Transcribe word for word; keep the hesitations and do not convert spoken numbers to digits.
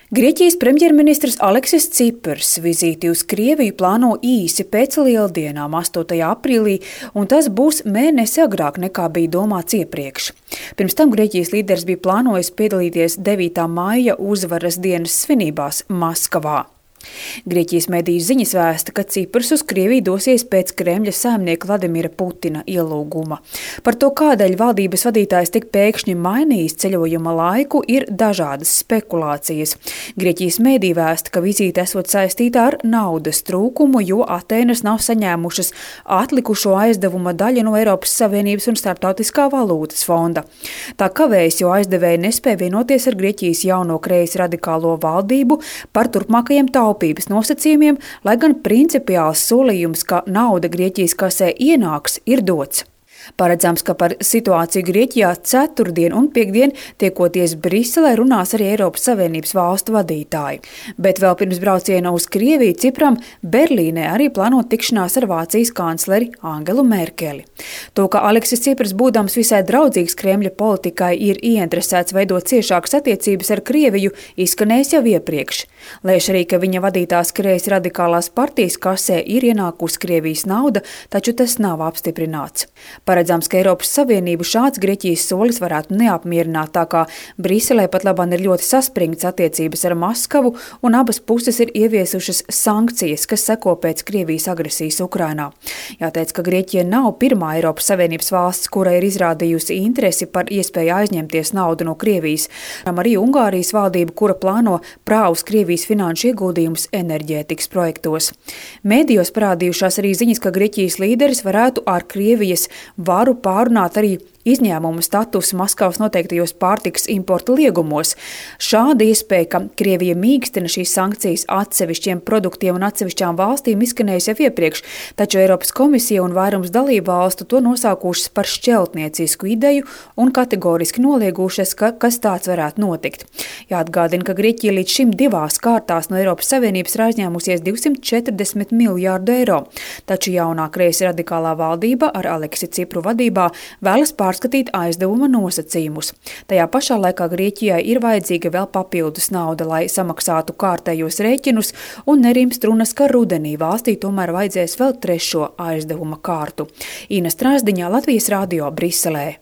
Grieķijas premjerministrs Aleksis Ciprs vizīti uz Krieviju plāno īsi pēc lieldienām, astotajā aprīlī, un tas būs mēnesi agrāk nekā bija domāts iepriekš. Pirms tam Grieķijas līderis bija plānojis piedalīties devītā maija uzvaras dienas svinībās Maskavā. Grieķijas mediju ziņas vēsta, ka Ciprs uz Krieviju dosies pēc Kremļa saimnieka Vladimira Putina ielūguma. Par to, kādēļ valdības vadītājs tik pēkšņi mainījis ceļojuma laiku, ir dažādas spekulācijas. Grieķijas mediji vēsta, ka vizīte esot saistīta ar naudas trūkumu, jo Atēnas nav saņēmušas atlikušo aizdevuma daļu no Eiropas Savienības un Starptautiskā valūtas fonda. Tā kavējas, jo aizdevēji nespēja vienoties ar Grieķijas jauno kreisi radikālo valdību par turpmākajiem taupījumiem. taupības nosacījumiem, lai gan principiāls solījums, ka nauda Grieķijas kasē ienāks, ir dots. Paredzams, ka par situāciju Grieķijā ceturtdien un piekdien tiekoties Briselē runās arī Eiropas Savienības valstu vadītāji. Bet vēl pirms brauciena uz Krieviju Cipram Berlīnē arī plāno tikšanās ar Vācijas kancleri Angelu Merkeli. To, ka Aleksis Ciprs, būdams visai draudzīgs Kremļa politikai, ir ieinteresēts veidot ciešākas attiecības ar Krieviju, izskanējis jau iepriekš. Lēš arī, ka viņa vadītās kreisi radikālās partijas kasē ir ienākusi Krievijas nauda, taču tas nav apstiprināts. Paredzams, ka Eiropas Savienību šāds Grieķijas solis varētu neapmierināt, tā kā Briselē pat labāk ir ļoti saspringts attiecības ar Maskavu, un abas puses ir ieviesušas sankcijas, kas seko pēc Krievijas agresijas Ukrainā. Jāteic, ka Grieķija nav pirmā Eiropas Savienības valsts, kura ir izrādījusi interesi par iespēju aizņemties naudu no Krievijas. Arī Ungārijas valdība, kura plāno prāvus Krievijas finanšu ieguldījumus enerģētikas projektos. Mēdījos parādījušās arī ziņas, ka Grieķijas līderis varētu ar Krievijas varu pārunāt arī izņēmumu statusu Maskavas noteiktajos pārtikas importa liegumos. Šāda iespēja, ka Krievija mīkstina šīs sankcijas atsevišķiem produktiem un atsevišķām valstīm, izskanējusi jau iepriekš, taču Eiropas komisija un vairums dalību valstu to nosaukušas par šķeltniecisku ideju un kategoriski noliegušas, ka kas tāds varētu notikt. Jāatgādina, ka Grieķija līdz šim divās kārtās no Eiropas Savienības ir aizņēmusies divsimt četrdesmit miljārdu eiro, taču jaunā kreisi radikālā valdība ar Aleksi Cipru vadībā vēlas pārskatīt aizdevuma nosacījumus. Tajā pašā laikā Grieķijai ir vajadzīga vēl papildus nauda, lai samaksātu kārtējos rēķinus, un nerimst runas, ka rudenī valstī tomēr vajadzēs vēl trešo aizdevuma kārtu. Ina Strāzdiņā, Latvijas radio, Briselē.